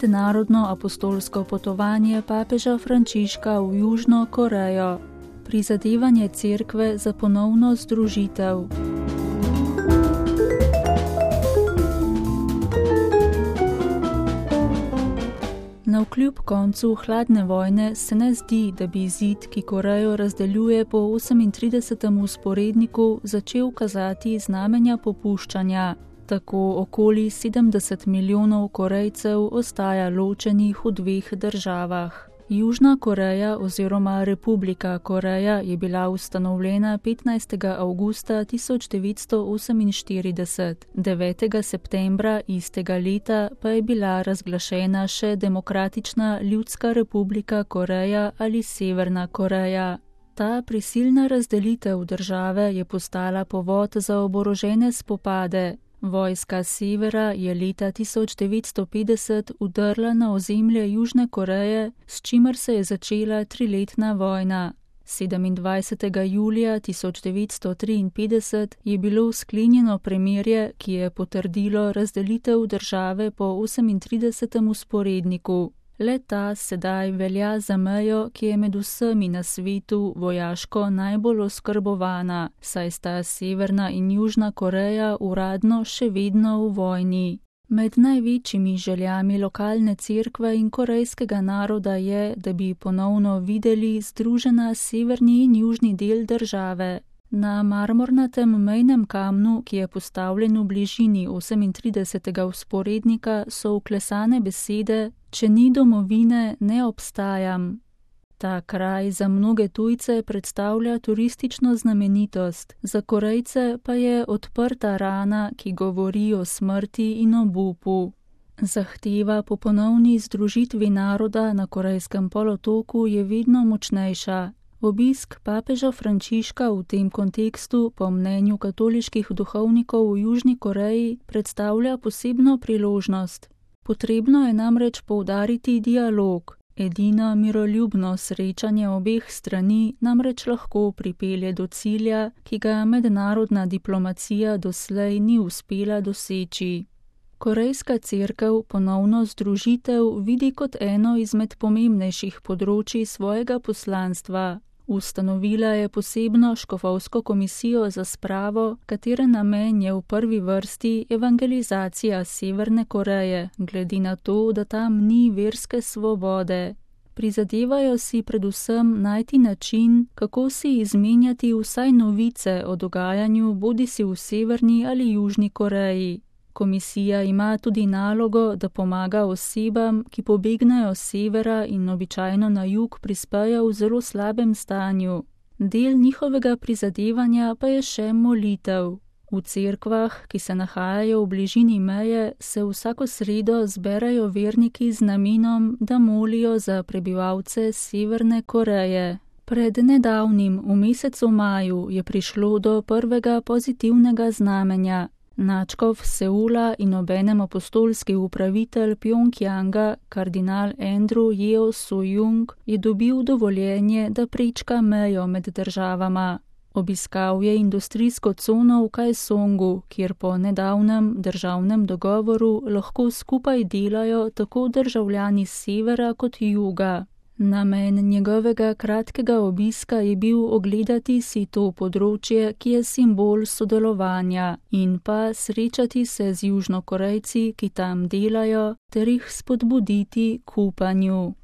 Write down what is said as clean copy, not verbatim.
mednarodno apostolsko potovanje papeža Frančiška v Južno Korejo. Prizadevanje cerkve za ponovno združitev. Navkljub koncu hladne vojne se ne zdi, da bi zid, ki Korejo razdeljuje po 38. vzporedniku, začel kazati znamenja popuščanja. Tako okoli 70 milijonov Korejcev ostaja ločenih v dveh državah. Južna Koreja oziroma Republika Koreja je bila ustanovljena 15. avgusta 1948, 9. septembra istega leta pa je bila razglašena še Demokratična ljudska republika Koreja ali Severna Koreja. Ta prisilna razdelitev države je postala povod za oborožene spopade. Vojska severa je leta 1950 vdrla na ozemlje Južne Koreje, s čimer se je začela triletna vojna. 27. julija 1953 je bilo sklenjeno premirje, ki je potrdilo razdelitev države po 38. vzporedniku. Le-ta sedaj velja za mejo, ki je med vsemi na svetu vojaško najbolj oskrbovana, saj sta Severna in Južna Koreja uradno še vedno v vojni. Med največjimi željami lokalne cerkve in korejskega naroda je, da bi ponovno videli združena severni in južni del države. Na marmornatem mejnem kamnu, ki je postavljen v bližini 38. vzporednika, so vklesane besede: "Če ni domovine, ne obstajam." Ta kraj za mnoge tujce predstavlja turistično znamenitost, za Korejce pa je odprta rana, ki govori o smrti in obupu. Zahteva po ponovni združitvi naroda na Korejskem polotoku je vedno močnejša. Obisk papeža Frančiška v tem kontekstu, po mnenju katoliških duhovnikov v Južni Koreji, predstavlja posebno priložnost. Potrebno je namreč poudariti dialog. Edino miroljubno srečanje obeh strani namreč lahko pripelje do cilja, ki ga mednarodna diplomacija doslej ni uspela doseči. Korejska cerkev ponovno združitev vidi kot eno izmed pomembnejših področij svojega poslanstva. Ustanovila je posebno škofovsko komisijo za spravo, katere namen je v prvi vrsti evangelizacija Severne Koreje, glede na to, da tam ni verske svobode. Prizadevajo si predvsem najti način, kako si izmenjati vsaj novice o dogajanju bodisi v Severni ali Južni Koreji. Komisija ima tudi nalogo, da pomaga osebam, ki pobegnejo s severa in običajno na jug prispejo v zelo slabem stanju. Del njihovega prizadevanja pa je še molitev. V cerkvah, ki se nahajajo v bližini meje, se vsako sredo zberajo verniki z namenom, da molijo za prebivalce Severne Koreje. Pred nedavnim, v mesecu maju, je prišlo do prvega pozitivnega znamenja. Nadškof Seula in obenem apostolski upravitelj Pjongjanga, kardinal Andrew Yeo Soo-jung, je dobil dovoljenje, da prečka mejo med državama. Obiskal je industrijsko cono v Kaesongu, kjer po nedavnem državnem dogovoru lahko skupaj delajo tako državljani severa kot juga. Namen njegovega kratkega obiska je bil ogledati si to področje, ki je simbol sodelovanja, in pa srečati se z Južnokorejci, ki tam delajo, ter jih spodbuditi k upanju.